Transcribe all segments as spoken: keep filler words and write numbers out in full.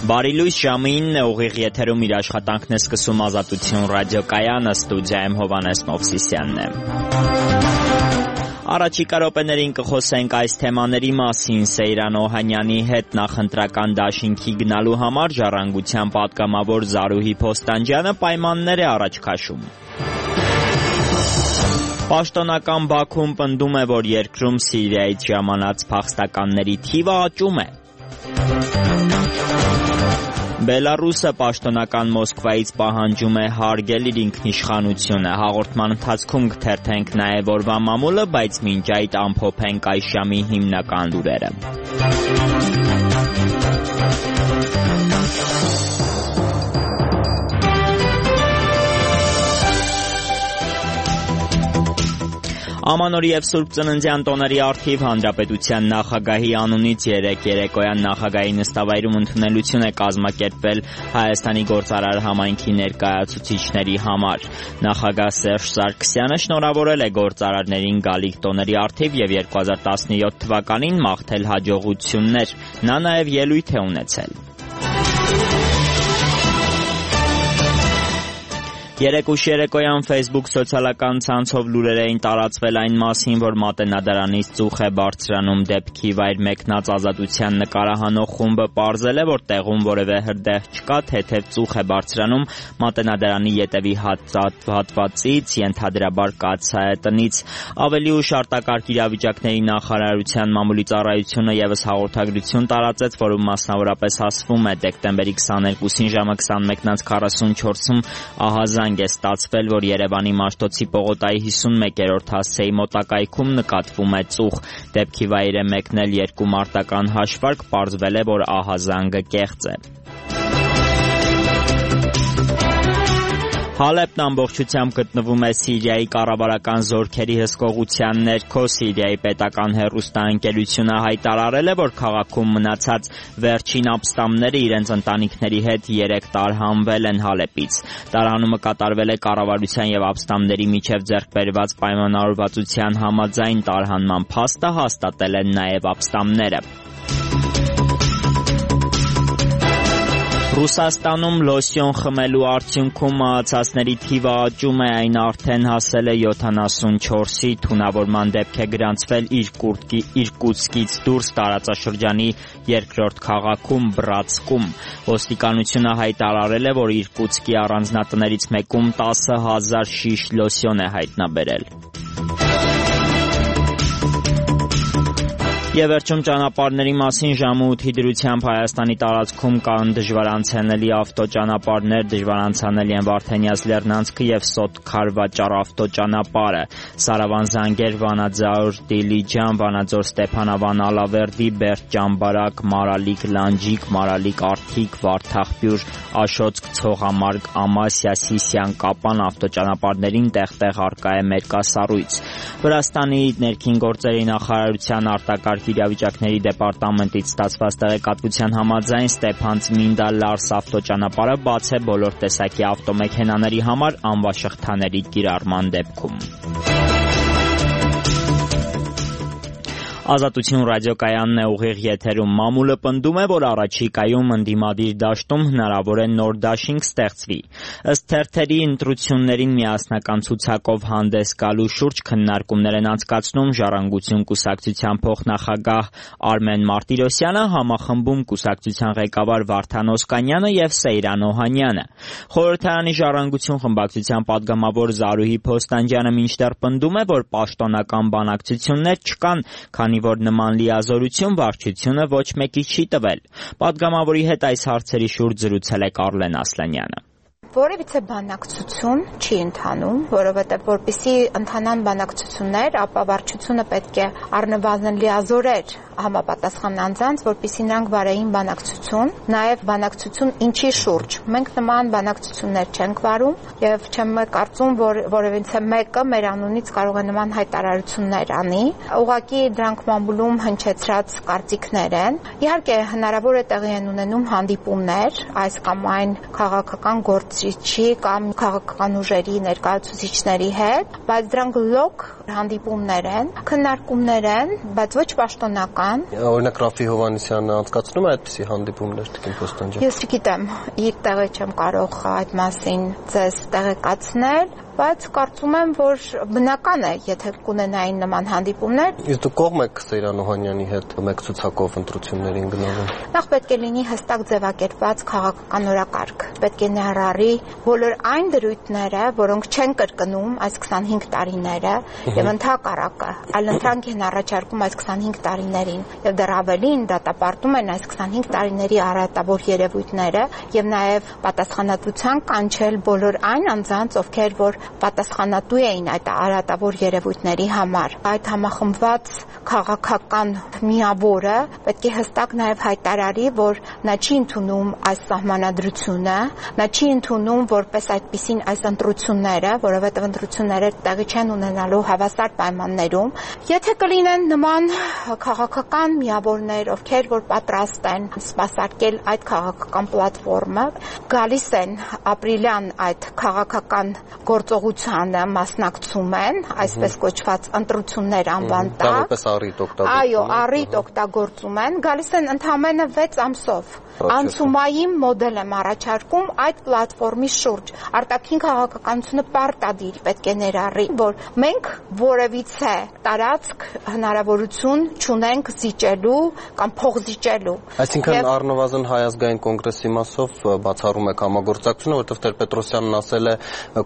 Բարի լույս, ժամին ուղիղ եթերում իր աշխատանքն է սկսում Ազատություն ռադիոկայանը, ստուդիայում Հովհաննես Մովսիսյանն է։ Առաջիկա րոպեներին կխոսենք այս թեմաների մասին Սեյրան Օհանյանի հետ նախընտրական դաշինքի գնալու համար Ժառանգության պատգամավոր Զարուհի Փոստանջյանը պայմաններ է առաջ քաշում։ Պաշտոնական Բաքուն պնդում է, որ երկրում Սիրիայից ժամանած փախստականների թիվը աճում է։ Բելարուսը պաշտոնական Մոսկվայից պահանջում է հարգել իր ինքնիշխանությունը։ Հաղորդման ընթացքում կթերթենք նաև օրվա մամուլը, բայց մինչ այդ ամփոփենք այս ժամի հիմնական լուրերը։ Ամանորի և Սուրբ Ծննդյան տոների առթիվ Հանրապետության նախագահի անունից երեկ երեկոյան նախագահի նստավայրում ընդունելություն է կազմակերպվել Հայաստանի գործարար համայնքի ներկայացուցիչների համար։ Նախագահ Սերժ Սարգսյանը շնորհավորել է գործարարներին գալիք տոների առթիվ և երկու հազար տասնյոթ թվականին մաղթել հաջողություններ։ Նա նաև ելույթ է ունեցել։ Երեկուշ երեկոյան Facebook սոցիալական ցանցով լուրեր էին տարածվել այն մասին, որ Մատենադարանից ծուխ է բարձրանում դեպքի վայր մեկնած Ազատության նկարահանող խումբը պարզել է, որ տեղում որևէ հրդեհ չկա, թեթև ծուխ է բարձրանում Մատենադարանի ետևի հատվածից, ենթադրաբար կաթսայատնից։ Ավելի ուշ արտակարգ իրավիճակների նախարարության մամուլի ծառայությունը ևս հաղորդագրություն տարածեց, որում մասնավորապես ասվում է դեկտեմբերի քսաներկուսին ժամը քսանմեկ քառասունչորսում ահազանգ է ստացվել, որ Երևանի Մաշտոցի պողոտայի հիսունմեկերորդ հասցեի մոտակայքում նկատվում է ծուխ։ Դեպքի վայր է մեկնել երկու մարտական հաշվարկ, պարզվել է, որ ահազանգը կեղծ է։ Հալեբն ամբողջությամբ գտնվում է Սիրիայի կառավարական զորքերի հսկողության ներքո։ Սիրիայի պետական հեռուստաընկերությունը հայտարարել է, որ քաղաքում մնացած վերջին ապստամբները իրենց ընտանիքների հետ երեկ տարհանվել են Հալեբից։ Տարհանումը կատարվել է կառավարության և ապստամբների միջև ձեռք բերված պայմանավորվածության համաձայն։ Տարհանման փաստը հաստատել են նաև ապստամբները։ Ռուսաստանում լոսյոն խմելու արդյունքում մահացածների թիվը աճում է, այն արդեն հասել է յոթանասունչորսի, թունավորման դեպք է գրանցվել Իրկուտսկից դուրս տարածաշրջանի երկրորդ քաղաքում Բրատսկում։ Ոստիկանությունը հայտարարել է, որ Իրկուտսկի առանձնատներից մեկում տասը հազար շիշ լոսյոն է հայտնաբերել։ Եվ վերջում ճանապարհների մասին ժամը ութի դրությամբ Հայաստանի տարածքում կան դժվարանցանելի ավտոճանապարհներ, դժվարանցանելի են Վարդենյաց Լեռնանցքը և Սոթ-Քարվաճար ավտոճանապարհը, Սարավան-Զանգեր, Վանաձոր, Դիլիջան, Վանաձոր, Ստեփանավան, Ալավերդի, Բերդ-Ճամբարակ, Մարալիկ, Լանջիկ, Մարալիկ, Արթիկ, Վարդախբյուր, Աշոցք, Ցողամարգ, Ամասիա, Սիսիան, Կապան ավտոճանապարհներին տեղ-տեղ առկա է մերկասառույց։ Վրաստանի ներքին գործերի նախարարության արտակարգ իրավիճակների դեպարտամենտից ստացված տեղեկատվության համաձայն Ստեփան-Ծմինդա-Լարս ավտոճանապարհը բաց է բոլոր տեսակի ավտոմեքենաների համար անվաշղթաների կիրառման դեպքում։ Ազատություն ռադիոկայանն է ուղիղ եթերում։ Մամուլը պնդում է, որ առաջիկայում ընդդիմադիր դաշտում հնարավոր է նոր դաշինք ստեղծվի։ Ըստ թերթերի ընտրություններին միասնական ցուցակով հանդես գալու շուրջ քննարկումներ են անցկացնում Ժառանգություն կուսակցության փոխնախագահ Արմեն Մարտիրոսյանը, համախմբում կուսակցության ղեկավար Վարդան Օսկանյանը և Սեյրան Օհանյանը։ Խորհրդարանի Ժառանգություն խմբակցության պատգամավոր Զարուհի Փոստանջյանը մինչդեռ պնդում է, որ պաշտոնական բանակցություններ չկան, քանի որ նման լիազորություն վարչությունը ոչ մեկի չի տվել։ Պատգամավորի հետ այս հարցերի շուրջ զրուցել է Կարլեն Ասլանյանը։ Որևիցե բանակցություն չի ընթանում, որովհետև որպեսզի ընթանան բանակցություններ, ապա վարչությունը պետք է առնվազն լիազորեր համապատասխան անձանց, որպեսզի նրանք վարեին բանակցություն, նաև բանակցություն ինչի շուրջ։ Մենք նման բանակցություններ չենք վարում եւ չեմ կարծում, որ որևիցե մեկը մեր անունից կարող է նման հայտարարություններ անի։ Ուղղակի դրանք մամուլում հնչեցրած կարծիքներ են։ Իհարկե հնարավոր է տեղի են ունենում հանդիպումներ այս կամ այն քաղաքական գործ ներկայացուցիչի կամ քաղաքական ուժերի ներկայացուցիչների հետ, բայց դրանք լոկ հանդիպումներ են, քննարկումներ են, բայց ոչ պաշտոնական։ Օրինակ Ռաֆի Հովհաննիսյանը անցկացնում է այդպիսի հանդիպումներ, Տիկին Փոստանջան։ Ես չգիտեմ, իր տեղը չեմ կարող այդ մասին ձեզ տեղեկացնել, բայց կարծում եմ, որ բնական է, եթե կունենային նման հանդիպումներ։ Իսկ դուք կողմ եք Սեյրան Օհանյանի հետ մեկ ցուցակով ընտրություններին գնալու։ Նախ պետք է լինի հստակ ձևակերպված քաղաքական օրակարգ։ Պետք է ներառի բոլոր այն դրույթները, որոնք չեն կրկնում այս քսանհինգ տարիները եւ ընդհակառակը, այլ ընտրանք են առաջարկում այս քսանհինգ տարիներին եւ դեռ ավելին դատապարտում են այս քսանհինգ տարիների առատավոր երևույթները եւ նաեւ պատասխանատվության կանչել բոլոր այն անձանց, ովքեր որ պատասխանատու էին այդ արատավոր երևույթների համար։ Այդ համախմբված քաղաքական միավորը պետք է հստակ նաև հայտարարի, որ նա չի ընդունում այս սահմանադրությունը, նա չի ընդունում որպես այդպիսին այս ընտրությունները, որովհետև ընտրությունները տեղի չեն ունենալու հավասար պայմաններում։ Եթե կլինեն նման քաղաքական միավորներ, ովքեր որ պատրաստ են սպասարկել այդ քաղաքական պլատֆորմը, գալիս են ապրիլյան այդ քաղաքական գործողությանը մասնակցում են, այսպես կոչված ընտրություններ անվան տակ, այո, առիթ օգտագործում են, գալիս են ընդամենը վեց ամսով։ Անցումային մոդել եմ առաջարկում այդ պլատֆորմի շուրջ։ Արտաքին քաղաքականությունը պարտադիր պետք է ներառի, որ մենք որևիցե տարածք հնարավորություն չունենք զիջելու կամ փոխզիջելու։ Այսինքն առնվազն Հայ ազգային կոնգրեսի մասով բացառում եք համագործակցությունը, որովհետև Տեր-Պետրոսյանն ասել է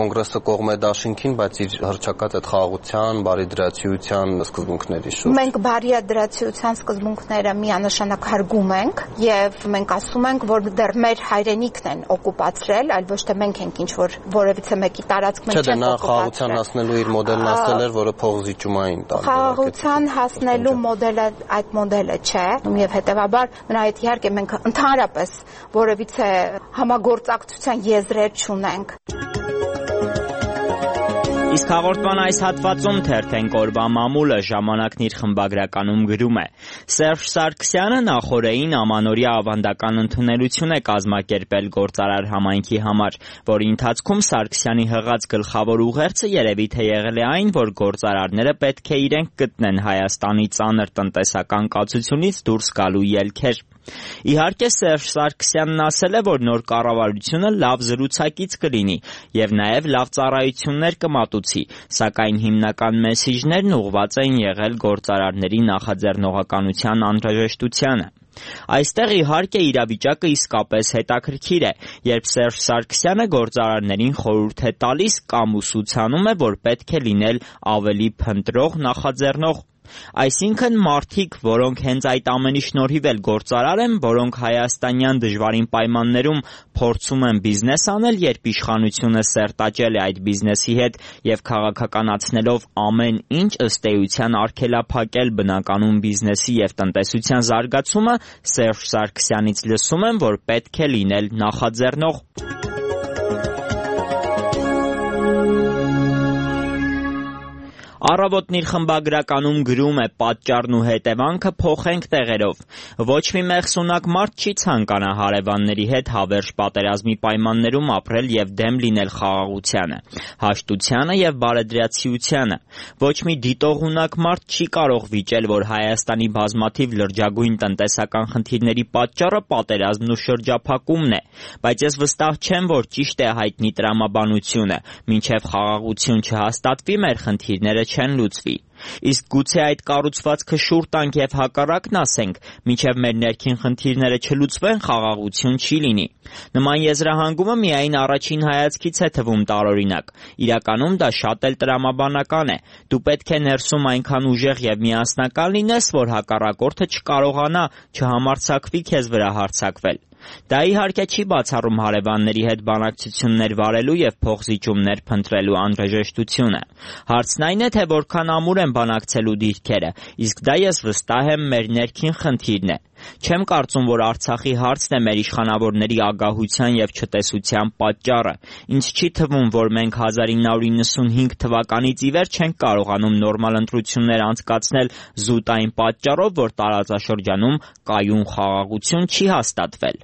կոնգրեսը կողմ է դաշինքին, բայց իր հռչակած այդ խաղաղության, բարիդրացիության սկզբունքների շուրջ։ Մենք բարիդրացիության սկզբունքները միանշանակ հարգում ենք եւ մենք ասում ենք, որ դեռ մեր հայրենիքն են օկուպացրել, այլ ոչ թե մենք ենք ինչ որ որևիցե մեկի տարածք մենք չենք օկուպացրել։ Չէ, նա խաղաղության հասնելու իր մոդելն ասել էր, որը փոխզիջումային տալ։ Խաղաղության հասնելու մոդելը այդ մոդելը չէ, եւ հետեւաբար նրա հետ իհարկե մենք ընդհանրապես որևիցե համագործակցության եզրեր չունենք։ Իսկ հաղորդման այս հատվածում թերթենք օրվա մամուլը ժամանակն իր խմբագրականում գրում է. Սերժ Սարգսյանը նախորդին ամանորյա ավանդական ընդունելություն է կազմակերպել գործարար համայնքի համար, որի ընթացքում Սարգսյանի հղած գլխավոր ուղերձը երևի թե եղել է այն, որ գործարարները պետք է իրենք գտնեն Հայաստանի ծանր տնտեսական կացությունից դուրս գալու ելքեր։ Իհարկե Սերժ Սարգսյանն ասել է, որ նոր կառավարությունը լավ զրուցակից կլինի եւ նաեւ լավ ծառայություններ կմատուցի, սակայն հիմնական մեսիջներն ուղղված են եղել գործարարների նախաձեռնողականության անհրաժեշտությանը։ Այստեղ իհարկե իրավիճակը իսկապես հետաքրքիր է, երբ Սերժ Սարգսյանը գործարարներին խորհուրդ է տալիս կամ ուսուցանում է, որ պետք է լինել ավելի փնտրող, նախաձեռնող։ Այսինքն մարդիկ, որոնք հենց այդ ամենի շնորհիվ էլ գործարար են, որոնք հայաստանյան դժվարին պայմաններում փորձում են բիզնես անել, երբ իշխանությունը սերտաճել է այդ բիզնեսի հետ եւ քաղաքականացնելով ամեն ինչ ըստ էության արգելափակել բնականում բիզնեսի եւ տնտեսության զարգացումը, Սերժ Սարգսյանից լսում են, որ պետք է լինել նախաձեռնող։ Առավոտն իր խմբագրականում գրում է. պատճառն ու հետևանքը փոխենք տեղերով։ Ոչ մի մեղսունակ մարդ չի ցանկանա հարևանների հետ հավերժ պատերազմի պայմաններում ապրել եւ դեմ լինել խաղաղությանը, հաշտությանը եւ բարեդրացիությանը։ Ոչ մի դիտողունակ մարդ չի կարող վիճել, որ Հայաստանի բազմաթիվ լրջագույն տնտեսական խնդիրների պատճառը պատերազմն ու շրջափակումն է, բայց ես վստահ չեմ, որ ճիշտ է հայտնի տրամաբանությունը, մինչեւ խաղաղություն չհաստատվի մեր խնդիրները չեն լուծվի։ Իսկ գուցե այդ կառուցվածքը շուռ տանք եւ հակառակն ասենք, մինչեւ մեր ներքին խնդիրները չլուծվեն, խաղաղություն չի լինի։ Նման եզրահանգումը միայն առաջին հայացքից է թվում տարօրինակ։ Իրականում դա շատ էլ տրամաբանական է։ Դու պետք է ներսում այնքան ուժեղ եւ միասնական լինես, որ հակառակորդը չկարողանա, չհամարձակվի քեզ վրա հարձակվել։ Դա իհարկե չի բացառում հարևանների հետ բանակցություններ վարելու եւ փոխզիջումներ փնտրելու անհրաժեշտությունը։ Հարցն այն է, թե որքան ամուր են բանակցելու դիրքերը, իսկ դա ես վստահ եմ մեր ներքին խնդիրն է։ Չեմ կարծում, որ Արցախի հարցն է մեր իշխանավորների ագահության եւ չտեսության պատճառը։ Ինձ չի թվում, որ մենք հազար ինը հարյուր իննսունհինգ թվականից ի վեր չենք կարողանում նորմալ ընտրություններ անցկացնել զուտ այն պատճառով, որ տարածաշրջանում կայուն խաղաղություն չի հաստատվել։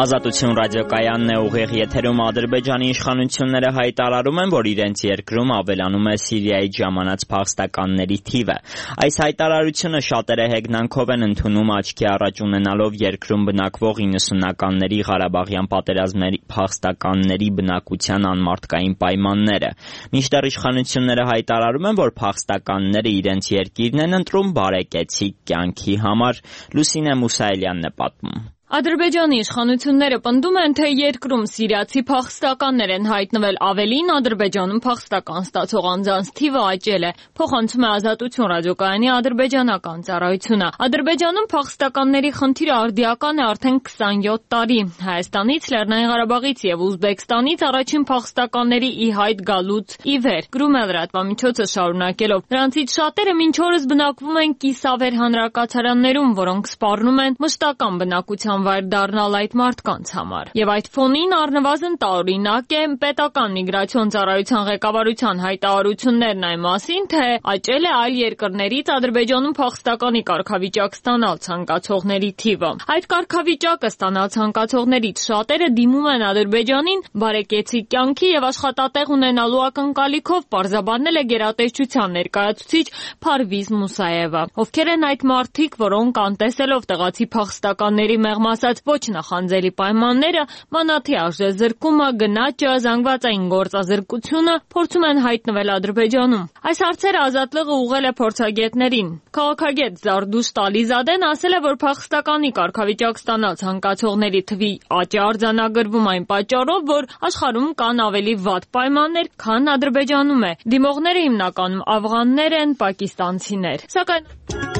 Ազատություն ռադիոկայանն է, ուղիղ եթերում Ադրբեջանի իշխանությունները հայտարարում են, որ իրենց երկրում ավելանում է Սիրիայից ժամանած փախստականների թիվը։ Այս հայտարարությունը շատերը հեգնանքով են ընդունում, աչքի առաջ ունենալով երկրում բնակվող իննսունականների Ղարաբաղյան պատերազմների փախստականների բնակության անմարդկային պայմանները։ Մինչդեռ իշխանությունները հայտարարում են, որ փախստականները իրենց երկիրն են ընտրում բարեկեցիկ կյանքի համար։ Լուսինե Մուսայելյանն է պատմում։ Ադրբեջանի իշխանությունները պնդում են, թե երկրում սիրիացի փախստականներ են հայտնվել, ավելին Ադրբեջանում փախստական ստացող անձանց թիվը աճել է, փոխանցում է Ազատություն ռադիոկայանի ադրբեջանական ծառայությունը։ Ադրբեջանում փախստականների խնդիրը արդիական է արդեն քսանյոթ տարի։ Հայաստանից, Լեռնային Ղարաբաղից եւ Ուզբեկստանից առաջին փախստականների ի հայտ գալուց ի վեր, գրում է լրատվամիջոցը շարունակելով։ Նրանցից շատերը մինչ օրս բնակվում են կիսավեր հանրակացարաններում, որոնք սպառնում են մշտական բնակության վայր դառնալ այդ մարդկանց համար։ Եվ այդ ֆոնին առնվազն տարօրինակ է պետական միգրացիոն ծառայության ղեկավարության հայտարարություններն այն մասին, թե աճել է այլ երկրներից Ադրբեջանում փախստականի կարգավիճակ ստանալ ցանկացողների թիվը։ Այդ կարգավիճակը ստանալ ցանկացողներից շատերը դիմում են Ադրբեջանին բարեկեցիկ կյանքի եւ աշխատատեղ ունենալու ակնկալիքով, պարզաբանել է գերատեսչության ներկայացուցիչ Փարվիզ Մուսայևը։ Ովքեր են այդ մարդիկ, որոնք անտեսելով տեղացի փախստականների մեղմ ասած ոչ նախանձելի պայմանները, մանաթի արժեզրկումը, գնաճը, զանգվածային գործազրկությունը փորձում են հայտնվել Ադրբեջանում։ Այս հարցերը Ազատլığը ուղղել է փորձագետներին։ Քաղաքագետ Զարդուշ Տալիզադեն ասել է, որ փախստականի կարգավիճակ ստանալ ցանկացողների թվի աճը արձանագրվում այն պատճառով, որ աշխարհում կան ավելի վատ պայմաններ, քան Ադրբեջանում է։ Դիմողները հիմնականում աֆղաններ են, պակիստանցիներ։ Սակայն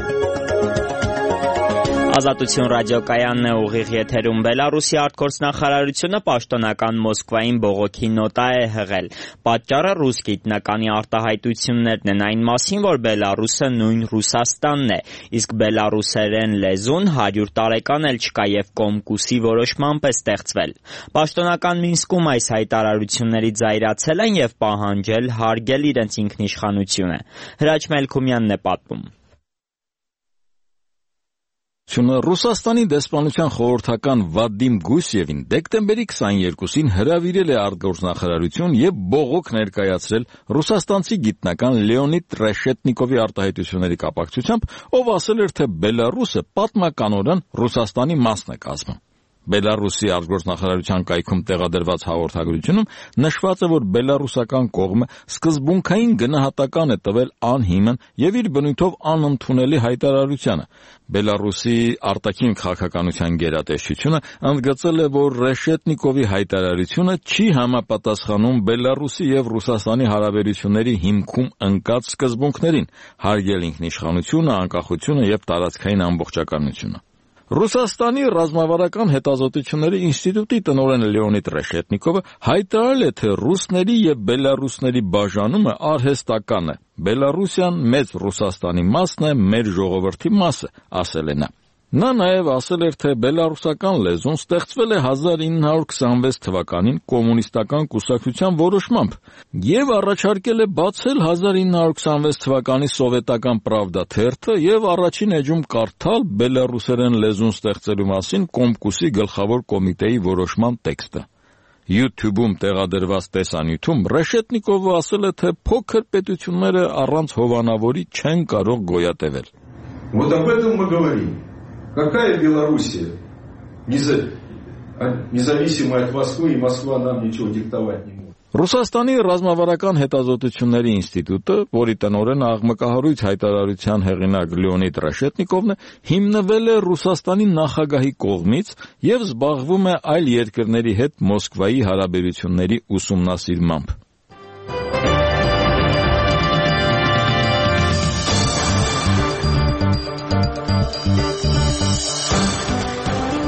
Ազատություն ռադիոկայանն է, ուղիղ եթերում Բելարուսի արտգործնախարարությունը պաշտոնական Մոսկվային բողոքի նոտա է հղել։ Պատճառը ռուս գիտնականի արտահայտություններն են այն մասին, որ Բելարուսը նույն Ռուսաստանն է, իսկ բելարուսերեն լեզուն հարյուր տարեկան էլ չկա եւ Կոմկուսի որոշմամբ է ստեղծվել։ Պաշտոնական Մինսկում այս հայտարարություններից զայրացել են եւ պահանջել հարգել իրենց ինքնիշխանությունը։ Հրաչ Մելքումյանն է պատմում։ Ռուսաստանի դեսպանության խորհրդական Վադիմ Գուսևին դեկտեմբերի քսաներկուսին հրավիրել է արտգործնախարարություն եւ բողոք ներկայացրել ռուսաստանցի գիտնական Լեոնիդ Ռեշետնիկովի արտահայտությունների կապակցությամբ, ով ասել էր, թե Բելարուսը պատմականորեն Ռուսաստանի մասն է կազմում։ Բելարուսի արտգործնախարարության կայքում տեղադրված հաղորդագրությունում նշված է, որ բելարուսական կողմը սկզբունքային գնահատական է տվել անհիմն եւ իր բնույթով անընդունելի հայտարարությանը։ Բելարուսի արտաքին քաղաքականության գերատեսչությունը ընդգծել է, որ Ռեշետնիկովի հայտարարությունը չի համապատասխանում Բելարուսի եւ Ռուսաստանի հարաբերությունների հիմքում ընկած սկզբունքներին՝ հարգել ինքնիշխանությունը, անկախությունը եւ տարածքային ամբողջականությունը։ Ռուսաստանի ռազմավարական հետազոտությունների ինստիտուտի տնօրեն Լեոնիդ Ռեշետնիկովը հայտարարել է, թե ռուսների եւ բելարուսների բաժանումը արհեստական է։ Բելարուսիան մեծ Ռուսաստանի մասն է, մեր ժողովրդի մասը, ասել է նա։ Նա նաև ասել էր, թե բելարուսական լեզուն ստեղծվել է հազար ինը հարյուր քսանվեց թվականին կոմունիստական կուսակցության որոշմամբ եւ առաջարկել է բացել հազար ինը հարյուր քսանվեց թվականի սովետական Պրավդա թերթը եւ առաջին էջում կարդալ բելարուսերեն լեզուն ստեղծելու մասին Կոմկուսի գլխավոր կոմիտեի որոշման տեքստը։ YouTube-ում տեղադրված տեսանյութում Ռեշետնիկովը ասել է, թե փոքր պետությունները առանց հովանավորի չեն կարող գոյատևել։ Вот об этом мы говорим. Какая Белоруссия? Независимая от Москвы, и Москва нам ничего диктовать не может. Ռուսաստանի ռազմավարական հետազոտությունների ինստիտուտը, որի տնօրեն աղմկահարույց հայտարարության հեղինակ Լեոնիդ Ռեշետնիկովն է, հիմնվել է Ռուսաստանի նախագահի կողմից եւ զբաղվում է այլ երկրների հետ Մոսկվայի հարաբերությունների ուսումնասիրմամբ։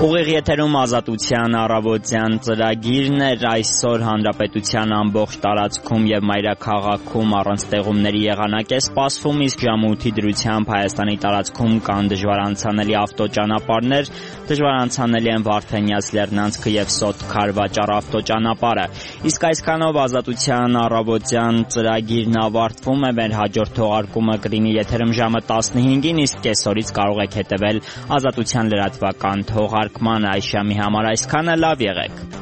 Ուղիղ եթերում Ազատության առավոտյան ծրագիրն էր, այսօր հանրապետության ամբողջ տարածքում եւ մայրաքաղաքում առանց տեղումների եղանակ է սպասվում, իսկ ժամը ութի դրությամբ Հայաստանի տարածքում կան դժվարանցանելի ավտոճանապարհներ, դժվարանցանելի են Վարդենյաց Լեռնանցքը եւ Սոթ-Քարվաճառ ավտոճանապարհը։ Իսկ այսքանով Ազատության առավոտյան ծրագիրն ավարտվում է, մեր հաջորդ թողարկումը կլինի եթերում ժամը տասնհինգին, իսկ կեսօրից կարող եք հետեւել Ազատության լրատվական թողարկումը թողարկման այս ժամի համար այսքանը, լավ եղեք։